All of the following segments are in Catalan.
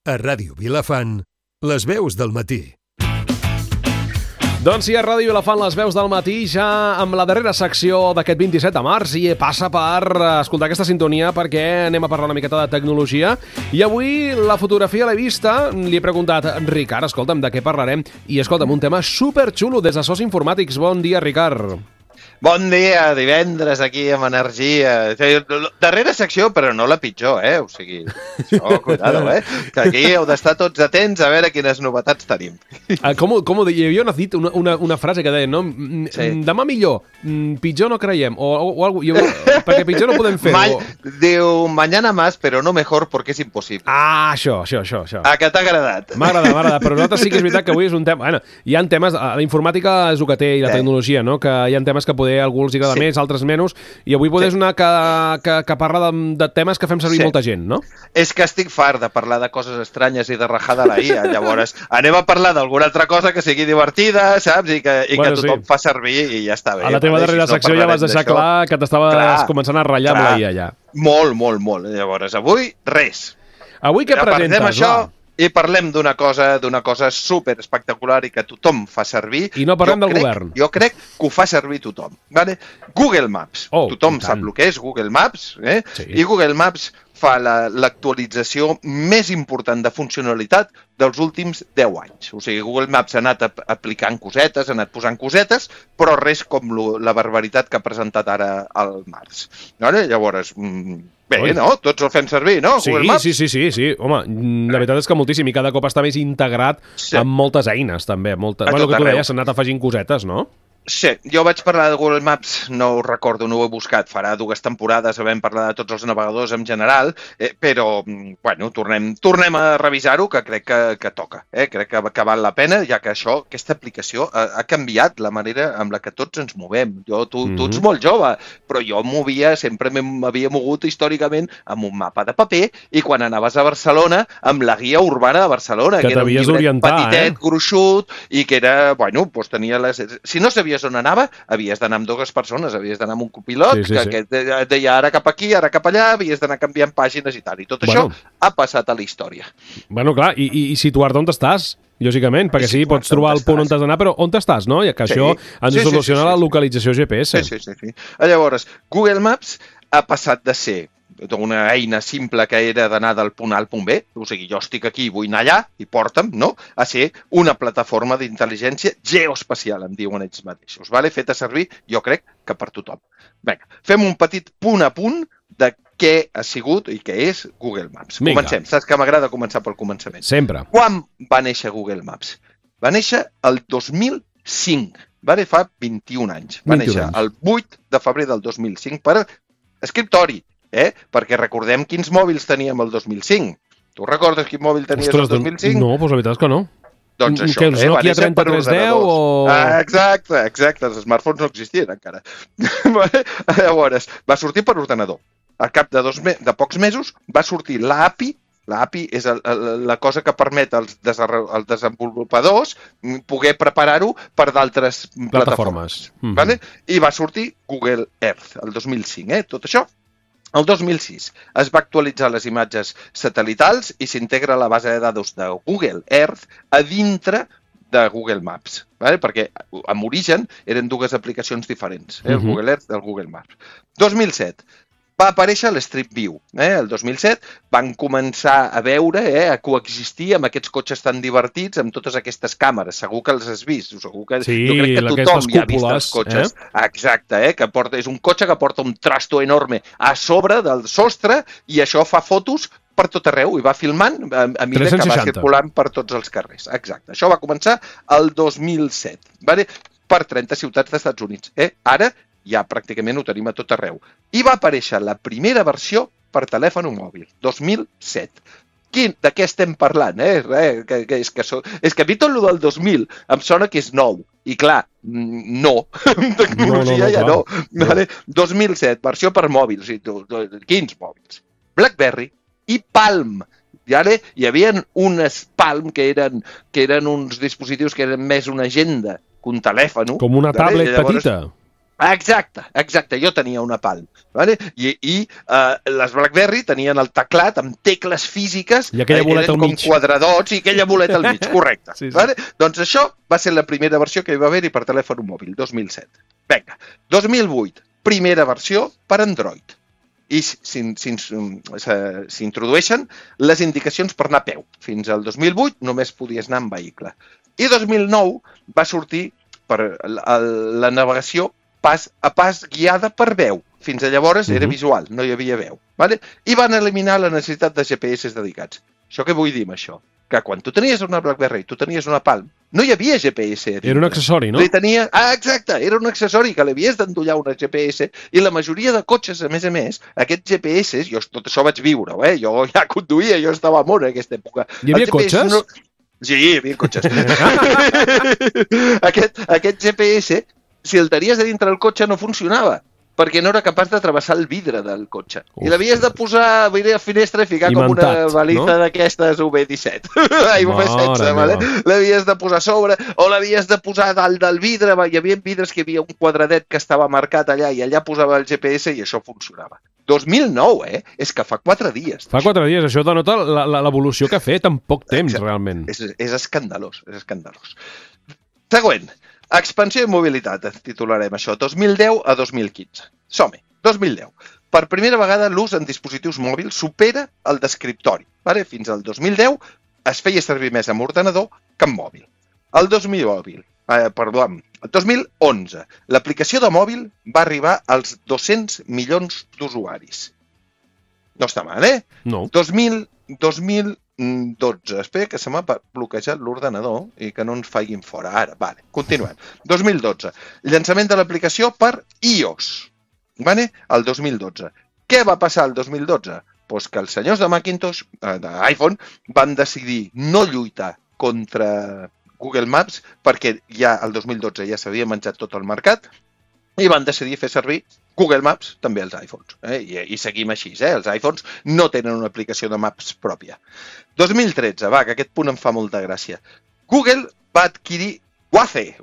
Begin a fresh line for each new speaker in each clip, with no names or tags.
A Ràdio Vilafant, les veus del matí.
Doncs sí, a Ràdio Vilafant, les veus del matí, ja amb la darrera secció d'aquest 27 de març, i passa per escoltar aquesta sintonia perquè anem a parlar una miqueta de tecnologia. I avui la fotografia l'he vista, li he preguntat, Ricard, escolta'm, de què parlarem? I escolta'm, un tema superxulo des de SOS Informàtics. Bon dia, Ricard.
Bon dia, divendres aquí amb energia. Darrera secció, però no la pitjor, O sigui, això, cuidado, Que aquí heu d'estar tots atents a veure quines novetats tenim.
Com ho deia? Hi havia una frase que deia, no? Sí. Demà millor, pitjor no creiem, o algo, perquè pitjor no podem fer.
Diu, mañana más, però no mejor porque es imposible.
Ah, això.
A que t'ha agradat?
M'agrada, però nosaltres sí que és veritat que avui és un tema... Bueno, hi ha temes, la informàtica és el que té, i la tecnologia, no? Que hi ha temes que poder a algú els agrada més, altres menys, i avui és una que parla de temes que fem servir molta gent, no?
És que estic fart de parlar de coses estranyes i de rajar de la IA, llavors anem a parlar d'alguna altra cosa que sigui divertida, saps? I que tothom fa servir i ja està bé.
A la teva darrera secció ja vas deixar clar que t'estaves començant a ratllar amb la IA, ja.
Molt. Llavors, avui, res.
Avui què presentes?
Apartem això i parlem d'una cosa super espectacular i que tothom fa servir.
I no parlem del govern.
Jo crec que ho fa servir tothom. Vale? Google Maps. Tothom sap el que és Google Maps, Sí. I Google Maps fa l'actualització més important de funcionalitat dels últims 10 anys. O sigui, Google Maps ha anat aplicant cosetes, ha anat posant cosetes, però res com la barbaritat que ha presentat ara al març. Vale? Llavors, bé, no? Tots el fem servir, no?
Sí,
Google Maps?
Sí. Home, la veritat és que moltíssim, i cada cop està més integrat amb moltes eines, també. Bueno, que tu deies, s'han anat afegint cosetes, no?
Sí, jo vaig parlar de Google Maps, no ho recordo, no ho he buscat, farà 2 temporades havent parlat de tots els navegadors en general, però, bueno, tornem a revisar-ho, que crec que toca, crec que val la pena, ja que aquesta aplicació ha canviat la manera amb la que tots ens movem. Tu ets molt jove, però jo sempre m'havia mogut històricament amb un mapa de paper, i quan anaves a Barcelona, amb la guia urbana de Barcelona, que era un llibret petitet, gruixut, i que era, bueno, doncs tenia les... Si no sabies on anava, havies d'anar amb 2 persones, havies d'anar amb un copilot, que et deia ara cap aquí, ara cap allà, havies d'anar canviant pàgines i tal. I tot això ha passat a la història.
Bueno, clar, i situar-te on estàs, lògicament, perquè sí, pots trobar el punt on t'has d'anar, però on t'estàs, no? I que això ens soluciona la localització GPS.
Sí. Llavors, Google Maps ha passat de ser una eina simple que era d'anar del punt A al punt B, o sigui, jo estic aquí i vull anar allà, i porta'm, no? A ser una plataforma d'intel·ligència geoespacial, en diuen ells mateixos, vale? Feta servir, jo crec, que per tothom. Vinga, fem un petit punt a punt de què ha sigut i què és Google Maps. Comencem. Saps que m'agrada començar pel començament.
Sempre.
Quan va néixer Google Maps? Va néixer el 2005, vale? Fa 21 anys. Va néixer el 8 de febrer del 2005 per escriptori, perquè recordem quins mòbils teníem el 2005. Tu recordes quin mòbil tenies el 2005?
No, doncs la veritat és que no.
Doncs això,
que els Nokia 3310 o...
Exacte, els smartphones no existien encara. Llavors, va sortir per ordenador. Al cap de pocs mesos va sortir l'API. L'API és la cosa que permet als desenvolupadors poder preparar-ho per d'altres plataformes. Vale? I va sortir Google Earth el 2005, tot això. El 2006 es va actualitzar les imatges satelitals i s'integra la base de dades de Google Earth a dintre de Google Maps, perquè en origen eren 2 aplicacions diferents, el Google Earth i el Google Maps. 2007 va aparèixer l'Street View. El 2007 van començar a veure, a coexistir amb aquests cotxes tan divertits, amb totes aquestes càmeres. Segur que els has vist. Segur que,
sí,
jo crec que tothom ja ha vist els cotxes. Exacte, és un cotxe que porta un trasto enorme a sobre del sostre i això fa fotos per tot arreu i va filmant a mesura que va circulant per tots els carrers. Exacte. Això va començar el 2007, per 30 ciutats dels Estats Units. Ara ja pràcticament ho tenim a tot arreu. I va aparèixer la primera versió per telèfon mòbil, 2007. De què estem parlant? És que a mi tot el del 2000 em sona que és nou. I clar, no. Tecnologia ja no. 2007, versió per mòbils. Quins mòbils? BlackBerry i Palm. Hi havia unes Palm que eren uns dispositius que eren més una agenda que un telèfon.
Com una tablet petita.
Exacte. Jo tenia una Palm. Vale? I les BlackBerry tenien el teclat amb tecles físiques.
I aquella boleta al mig.
Com quadradots i aquella boleta al mig, correcte.
Sí.
Vale? Doncs això va ser la primera versió que hi va haver-hi per telèfon mòbil, 2007. Vinga, 2008, primera versió per Android. I s'introdueixen les indicacions per anar a peu. Fins al 2008 només podies anar en vehicle. I 2009 va sortir per la navegació pas a pas guiada per veu. Fins a llavors era visual, no hi havia veu. Vale? I van eliminar la necessitat de GPS dedicats. Això què vull dir amb això? Que quan tu tenies una BlackBerry, tu tenies una Palm, no hi havia GPS.
Era un accessori, no?
Exacte, era un accessori que l'havies d'endollar una GPS i la majoria de cotxes, a més, aquests GPS, jo tot això vaig viure-ho, jo ja conduïa, jo estava a món en aquesta època.
Hi havia cotxes?
Sí, hi havia cotxes. Aquest GPS, si el tenies a dintre del cotxe, no funcionava, perquè no era capaç de travessar el vidre del cotxe. I l'havies de posar a la finestra i ficar com una baliza d'aquestes UV17. UV16, vale? L'havies de posar a sobre o l'havies de posar dalt del vidre. Hi havia vidres que hi havia un quadradet que estava marcat allà i allà posava el GPS i això funcionava. 2009, És que fa 4 dies.
Fa 4 dies, això denota l'evolució que ha fet en poc temps, realment.
És escandalós, és escandalós. Següent. Expansió i mobilitat, titularem això, 2010 a 2015. Som-hi, 2010. Per primera vegada l'ús en dispositius mòbils supera el d'escriptori. Fins al 2010 es feia servir més amb ordenador que amb mòbil. El 2011, l'aplicació de mòbil va arribar als 200 milions d'usuaris. No està mal,
No.
2012. Espera que se m'ha bloquejat l'ordenador i que no ens faiguin fora. Ara, vale, continuem. 2012. Llançament de l'aplicació per iOS. Vale? El 2012. Què va passar el 2012? Pues que els senyors de Macintosh, d'iPhone, van decidir no lluitar contra Google Maps perquè ja el 2012 ja s'havia menjat tot el mercat i van decidir fer servir Google Maps també als iPhones. I seguim així. Els iPhones no tenen una aplicació de Maps pròpia. 2013, que aquest punt em fa molta gràcia. Google va adquirir Waze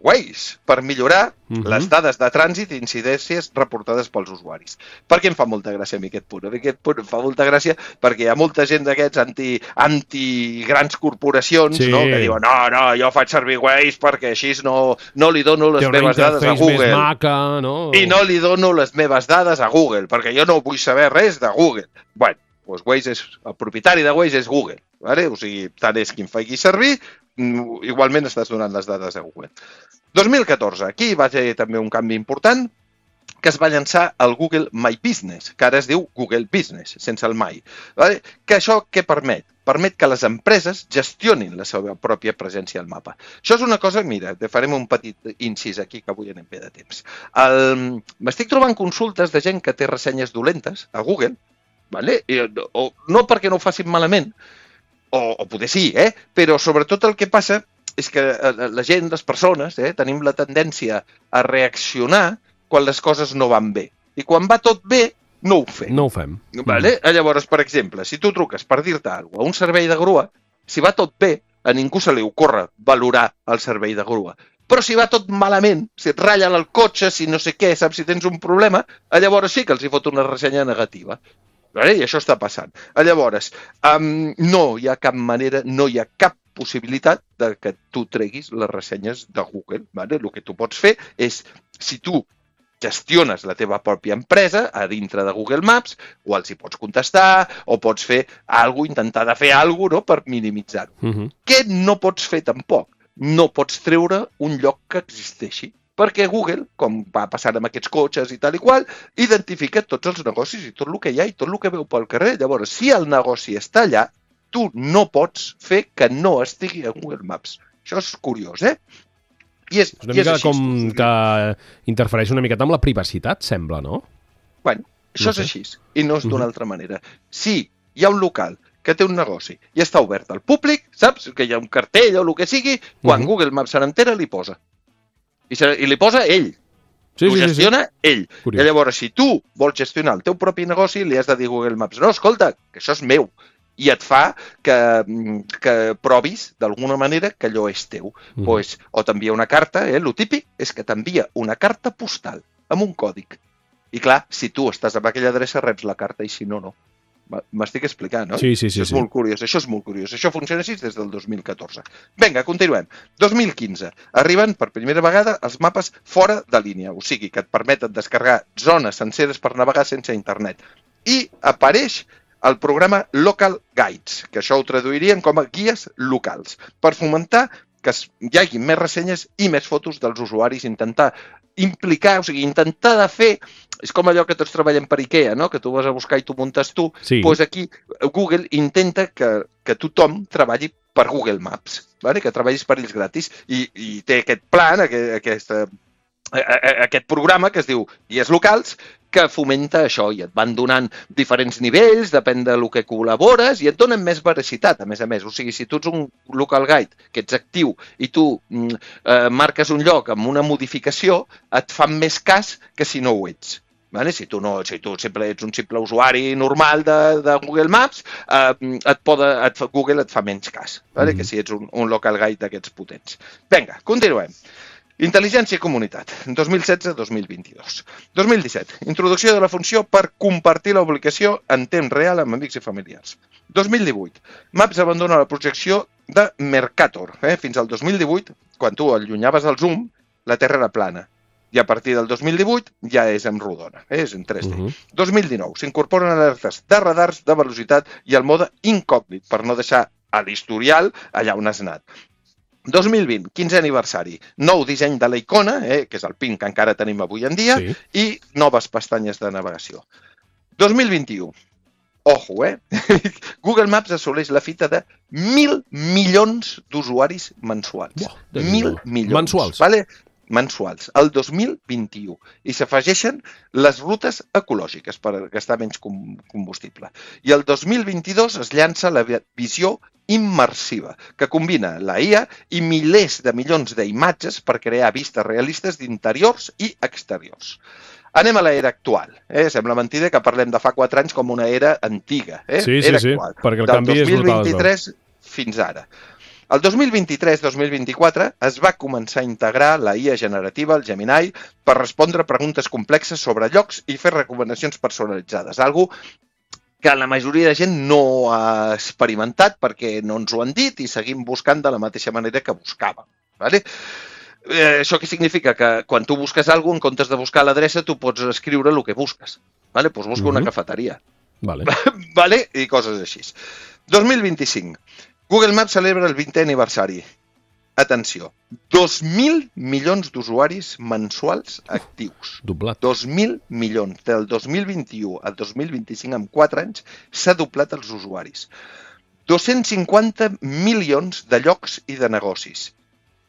per millorar les dades de trànsit i incidències reportades pels usuaris. Per què em fa molta gràcia a mi aquest punt? Aquest punt em fa molta gràcia perquè hi ha molta gent d'aquests anti-grans corporacions que diuen no, jo faig servir Waze perquè així no li dono les meves dades a Google. I no li dono les meves dades a Google perquè jo no vull saber res de Google. Bueno, doncs el propietari de Waze és Google. O sigui, tant és qui em faci servir, igualment estàs donant les dades a Google. 2014, aquí va haver també un canvi important, que es va llançar el Google My Business, que ara es diu Google Business, sense el My. Que això què permet? Permet que les empreses gestionin la seva pròpia presència al mapa. Això és una cosa, mira, farem un petit incís aquí, que avui anem bé de temps. M'estic trobant consultes de gent que té ressenyes dolentes a Google, no perquè no ho facin malament, o poder sí, però sobretot el que passa és que la gent, les persones, tenim la tendència a reaccionar quan les coses no van bé. I quan va tot bé, no ho fem.
No ho fem.
Llavors, per exemple, si tu truques per dir-te alguna cosa a un servei de grua, si va tot bé, a ningú se li ocorre valorar el servei de grua. Però si va tot malament, si et ratllen el cotxe, si no sé què, saps si tens un problema, llavors sí que els hi fot una ressenya negativa. I això està passant. Llavors, no hi ha cap manera, no hi ha cap possibilitat de que tu treguis les ressenyes de Google. El que tu pots fer és, si tu gestiones la teva pròpia empresa a dintre de Google Maps, o els hi pots contestar, o pots fer alguna cosa, intentar de fer alguna cosa per minimitzar-ho. Què no pots fer tampoc? No pots treure un lloc que existeixi. Perquè Google, com va passant amb aquests cotxes i tal i qual, identifica tots els negocis i tot el que hi ha i tot el que veu pel carrer. Llavors, si el negoci està allà, tu no pots fer que no estigui a Google Maps. Això és curiós, I és
una mica com que interfereix una miqueta amb la privacitat, sembla, no?
Bueno, això és així, i no és d'una altra manera. Si hi ha un local que té un negoci i està obert al públic, saps? Que hi ha un cartell o el que sigui, quan Google Maps se n'entera, li posa. I li posa ell. Ho gestiona ell. I llavors, si tu vols gestionar el teu propi negoci, li has de dir a Google Maps, no, escolta, que això és meu. I et fa que provis d'alguna manera que allò és teu. O t'envia una carta, el típic és que t'envia una carta postal. amb un còdig. I clar, si tu estàs amb aquella adreça, reps la carta i si no, no. M'estic explicant, no?
Sí.
Això és molt curiós, això és molt curiós. Això funciona així des del 2014. Vinga, continuem. 2015. Arriben per primera vegada els mapes fora de línia, o sigui, que et permeten descarregar zones senceres per navegar sense internet. I apareix el programa Local Guides, que això ho traduirien com a guies locals, per fomentar que hi hagi més ressenyes i més fotos dels usuaris, intentar implicar, o sigui, intentar de fer... És com allò que tots treballem per IKEA, no? Que tu vas a buscar i tu muntes tu.
Sí.
Doncs aquí Google intenta que tothom treballi per Google Maps, vale? Que treballis per ells gratis. I té aquest plan, aquest programa que es diu Guies Locals, que fomenta això i et van donant diferents nivells, depèn del que col·labores i et donen més veracitat, a més. O sigui, si tu ets un local guide que ets actiu i tu marques un lloc amb una modificació, et fan més cas que si no ho ets. Vale? Si tu sempre ets un simple usuari normal de Google Maps, Google et fa menys cas, vale? Que si ets un local guide d'aquests potents. Vinga, continuem. Intel·ligència i comunitat, 2016-2022. 2017, introducció de la funció per compartir la publicació en temps real amb amics i familiars. 2018, Maps abandona la projecció de Mercator. Fins al 2018, quan tu allunyaves el zoom, la Terra era plana. I a partir del 2018 ja és en rodona, és en 3D. 2019, s'incorporen alertes de radars de velocitat i el mode incògnit per no deixar a l'historial allà on has anat. 2020, 15è aniversari, nou disseny de la icona, que és el pin que encara tenim avui en dia, i noves pestanyes de navegació. 2021, ojo, Google Maps assoleix la fita de 1.000 milions d'usuaris mensuals. 1.000 milions.
Mensuals.
Vale? Mensuals, el 2021. I s'afegeixen les rutes ecològiques per gastar menys combustible. I el 2022 es llança la visió immersiva, que combina la IA i milers de milions d'imatges per crear vistes realistes d'interiors i exteriors. Anem a l'era actual. Sembla mentida que parlem de fa 4 anys com una era antiga.
Sí, actual. Perquè el canvi és brutal.
Del 2023 fins ara. El 2023-2024 es va començar a integrar la IA generativa, el Gemini, per respondre preguntes complexes sobre llocs i fer recomanacions personalitzades. Algo que la majoria de gent no ha experimentat perquè no ens ho han dit i seguim buscant de la mateixa manera que buscàvem. Vale? Això què significa? Que quan tu busques alguna cosa, en comptes de buscar l'adreça, tu pots escriure el que busques. Vale? Pues busca una cafeteria.
Vale.
Vale? I coses així. 2025. Google Maps celebra el 20è aniversari. Atenció, 2.000 milions d'usuaris mensuals actius.
Doblat.
2.000 milions. Del 2021 al 2025, en 4 anys, s'ha doblat els usuaris. 250 milions de llocs i de negocis.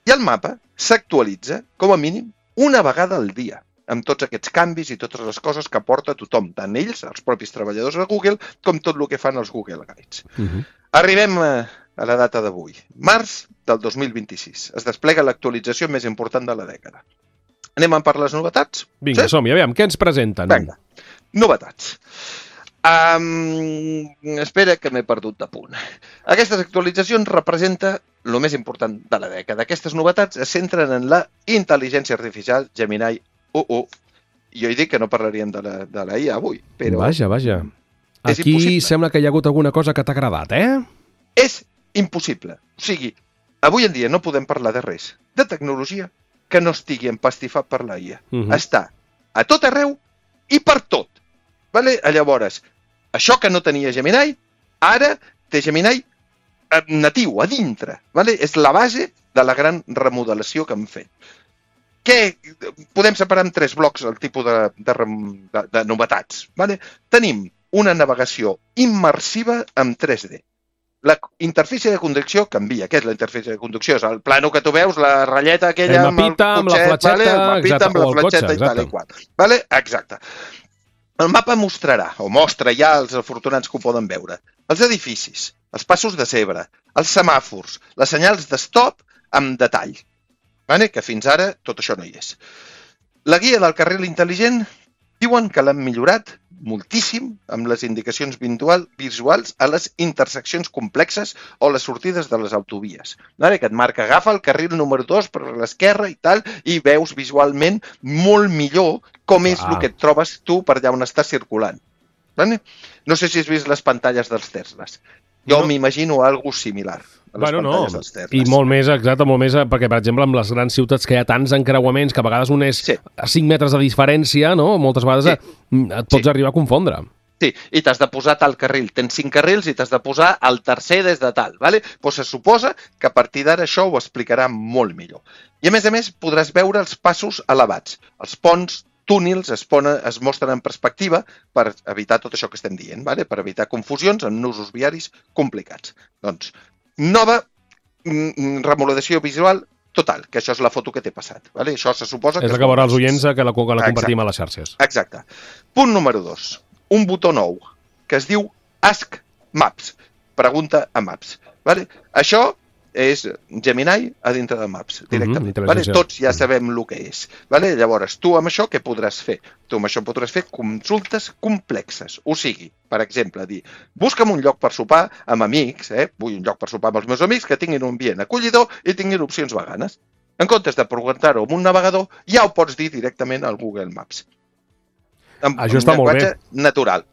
I el mapa s'actualitza, com a mínim, una vegada al dia, amb tots aquests canvis i totes les coses que aporta tothom, tant ells, els propis treballadors de Google, com tot el que fan els Google Guides. Arribem a la data d'avui, març del 2026. Es desplega l'actualització més important de la dècada. Anem a per les novetats?
Vinga, som-hi, aviam, què ens presenten?
Vinga, novetats. Espera que m'he perdut de punt. Aquestes actualitzacions representen el més important de la dècada. Aquestes novetats es centren en la intel·ligència artificial Gemini 1.1. Jo he dit que no parlaríem de la IA avui, però...
Vaja. Aquí sembla que hi ha hagut alguna cosa que t'ha agradat,
És impossible. O sigui, avui en dia no podem parlar de res, de tecnologia, que no estigui empastifat per la IA. Està a tot arreu i per tot. Vale? Llavors, això que no tenia Gemini, ara té Gemini natiu, a dintre. Vale? És la base de la gran remodelació que hem fet. Podem separar en 3 blocs el tipus de novetats. Vale? Tenim una navegació immersiva en 3D. La interfície de conducció canvia. Què és la interfície de conducció? És el plano que tu veus, la ratlleta aquella
amb el cotxet, amb la fletxeta,
el mapita amb la fletxeta i tal i qual. Vale? Exacte. El mapa mostrarà, o mostra ja els afortunats que ho poden veure, els edificis, els passos de zebra, els semàfors, les senyals de stop amb detall. Vale? Que fins ara tot això no hi és. La guia del carril intel·ligent Diuen que l'han millorat moltíssim amb les indicacions visuals a les interseccions complexes o les sortides de les autovies. Vale? Que et marca, agafa el carril número 2 per l'esquerra i tal, i veus visualment molt millor com és el que et trobes tu per allà on estàs circulant. Vale? No sé si has vist les pantalles dels Teslas. Jo m'imagino algo similar.
I molt més, exacte, molt més, perquè, per exemple, amb les grans ciutats que hi ha tants encreuaments, que a vegades un és a 5 metres de diferència, no? Moltes vegades et pots arribar a confondre.
Sí, i t'has de posar tal carril. Tens 5 carrils i t'has de posar el tercer des de tal. Vale? Pues se suposa que a partir d'ara això ho explicarà molt millor. I a més, podràs veure els passos elevats. Els ponts, túnels es mostren en perspectiva per evitar tot això que estem dient, vale? Per evitar confusions en nusos viaris complicats. Doncs, nova remodelació visual total, que això és la foto que t'he passat. Vale? Això se suposa que...
És la que veurà els oients que la compartim a les xarxes.
Exacte. Punt número 2. Un botó nou que es diu Ask Maps. Pregunta a Maps. Vale? Això és Gemini a dintre de Maps, directament. Vale? Tots ja sabem el que és. Vale? Llavors, tu amb això què podràs fer? Tu amb això podràs fer consultes complexes. O sigui, per exemple, dir, busca'm un lloc per sopar amb amics, vull un lloc per sopar amb els meus amics que tinguin un ambient acollidor i tinguin opcions veganes. En comptes de preguntar-ho amb un navegador, ja ho pots dir directament al Google Maps.
Això està molt bé.
Natural.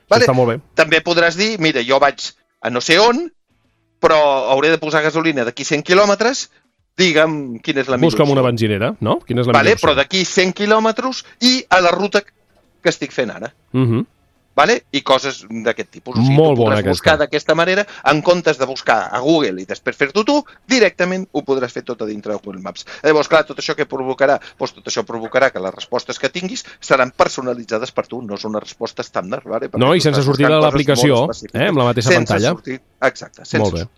Vale? Està molt bé.
També podràs dir, mira, jo vaig a no sé on, però hauré de posar gasolina d'aquí 100 quilòmetres, digue'm quina és la millor opció.
Busca'm una benzinera, no? Quina és la millor opció?
Però d'aquí 100 quilòmetres i a la ruta que estic fent ara. Vale? I coses d'aquest tipus. O sigui,
molt
tu podràs
bona
buscar d'aquesta manera, en comptes de buscar a Google i després fer-t'ho tu, directament ho podràs fer tot a dintre de Google Maps. Llavors, clar, tot això que provocarà? Doncs tot això provocarà que les respostes que tinguis seran personalitzades per tu, no és una resposta estàndard. Vale?
No, i sense sortir de l'aplicació, amb la mateixa pantalla.
Exacte, sense sortir.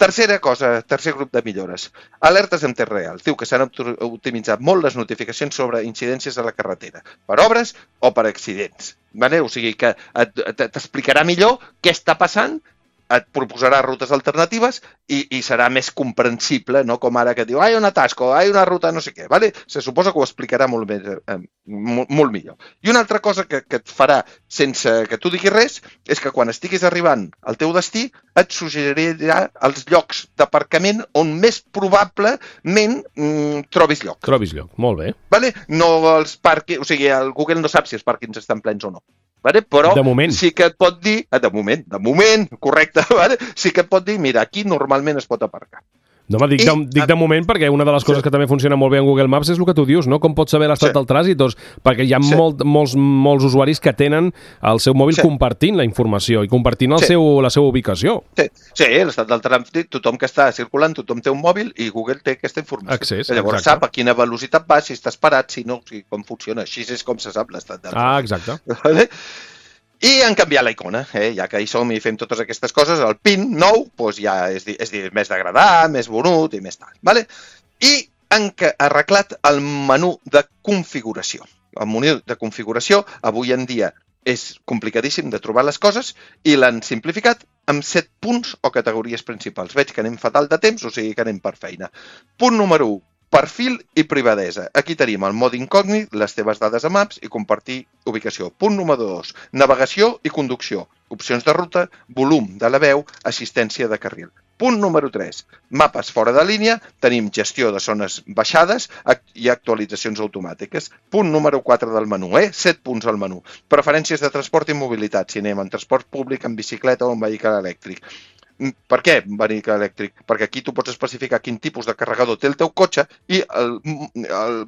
Tercer grup de millores. Alertes en temps real. Diu que s'han optimitzat molt les notificacions sobre incidències a la carretera, per obres o per accidents. Vale? O sigui que t'explicarà millor què està passant, et proposarà rutes alternatives i serà més comprensible, no? Com ara que diu, hi ha un atasco, hi ha una ruta no sé què. Vale? Se suposa que ho explicarà molt millor. I una altra cosa que et farà sense que tu diguis res és que quan estiguis arribant al teu destí et suggerirà els llocs d'aparcament on més probablement trobis lloc.
Trobis lloc, molt bé.
Vale? No els pàrquings, o sigui, el Google no sap si els pàrquings estan plens o no. Vale? Però sí que et pot dir, de moment, correcte, vale? Sí que et pot dir, mira, aquí normalment es pot aparcar.
No, dic de moment perquè una de les coses que també funciona molt bé en Google Maps és el que tu dius, no? Com pots saber l'estat del trànsit? Doncs perquè hi ha molts usuaris que tenen el seu mòbil compartint la informació i compartint la seva ubicació.
Sí, l'estat del trànsit, tothom que està circulant, tothom té un mòbil i Google té aquesta informació.
Accés,
llavors sap a quina velocitat va, si estàs parat, si no, com funciona. Així és com se sap l'estat del trànsit.
Exacte.
Vale? I han canviat la icona, ja que hi som i fem totes aquestes coses, el PIN nou doncs ja és més d'agradar, més bonut i més tal. Vale? I han arreglat el menú de configuració. El menú de configuració avui en dia és complicadíssim de trobar les coses i l'han simplificat amb 7 punts o categories principals. Veig que anem fatal de temps, o sigui que anem per feina. Punt número 1. Perfil i privadesa. Aquí tenim el mode incògnit, les teves dades a Maps i compartir ubicació. Punt número 2. Navegació i conducció. Opcions de ruta, volum de la veu, assistència de carril. Punt número 3. Mapes fora de línia, tenim gestió de zones baixades i actualitzacions automàtiques. Punt número 4 del menú, 7 punts al menú. Preferències de transport i mobilitat, si anem en transport públic, en bicicleta o en vehicle elèctric. Per què vehicle elèctric? Perquè aquí tu pots especificar quin tipus de carregador té el teu cotxe i el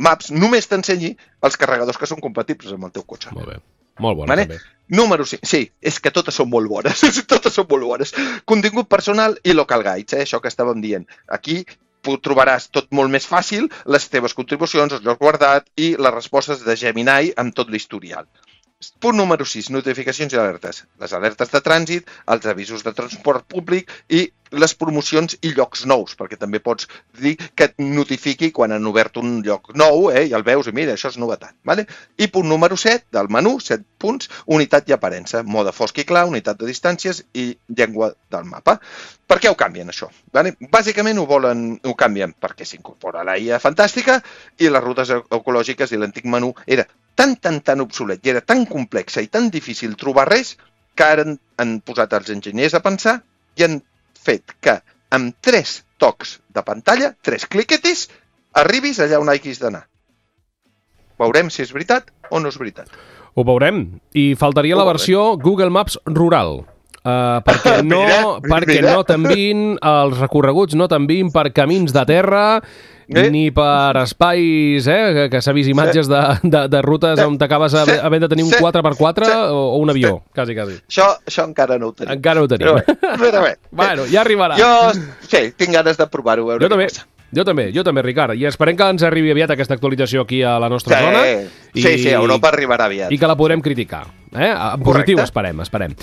Maps només t'ensenyi els carregadors que són compatibles amb el teu cotxe.
Molt bé. Molt bona, també.
Número 5. Sí, és que totes són molt bones. Totes són molt bones. Contingut personal i local guides, això que estàvem dient. Aquí trobaràs tot molt més fàcil, les teves contribucions, el lloc guardat i les respostes de Gemini amb tot l'historial. Punt número 6, notificacions i alertes. Les alertes de trànsit, els avisos de transport públic i les promocions i llocs nous, perquè també pots dir que et notifiqui quan han obert un lloc nou, i el veus i mira, això és novetat. Vale? I punt número 7 del menú, 7 punts, unitat i aparença, mode fosc i clar, unitat de distàncies i llengua del mapa. Per què ho canvien, això? Vale? Bàsicament ho canvien perquè s'incorpora la IA fantàstica i les rutes ecològiques i l'antic menú era tan obsolet i era tan complexa i tan difícil trobar res que ara han posat els enginyers a pensar i han fet que amb 3 tocs de pantalla, 3 cliquetis, arribis allà on hagis d'anar. Veurem si és veritat o no és veritat.
Ho veurem. I faltaria la versió Google Maps rural. Perquè no t'envien els recorreguts, no t'envien per camins de terra ni per espais, que s'ha vist imatges de rutes on t'acabes havent de tenir un 4x4 o un avió, quasi.
Això encara no ho tenim.
Encara ho tenim.
Però bé.
Bueno, ja arribarà.
Jo tinc ganes de provar-ho, veure què passa.
Jo també, Ricard. I esperem que ens arribi aviat aquesta actualització aquí a la nostra zona.
Sí, Europa arribarà aviat.
I que la podrem criticar. En positiu, esperem.
Esperem.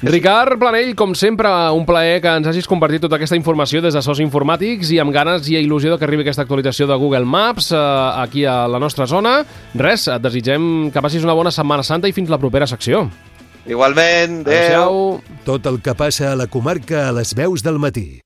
Ricard Planell, com sempre, un plaer que ens hagis compartit tota aquesta informació des de SOS Informàtics i amb ganes i il·lusió que arribi aquesta actualització de Google Maps aquí a la nostra zona. Res, et desitgem que passis una bona Setmana Santa i fins la propera secció.
Igualment, adéu.
Tot el que passa a la comarca a les veus del matí.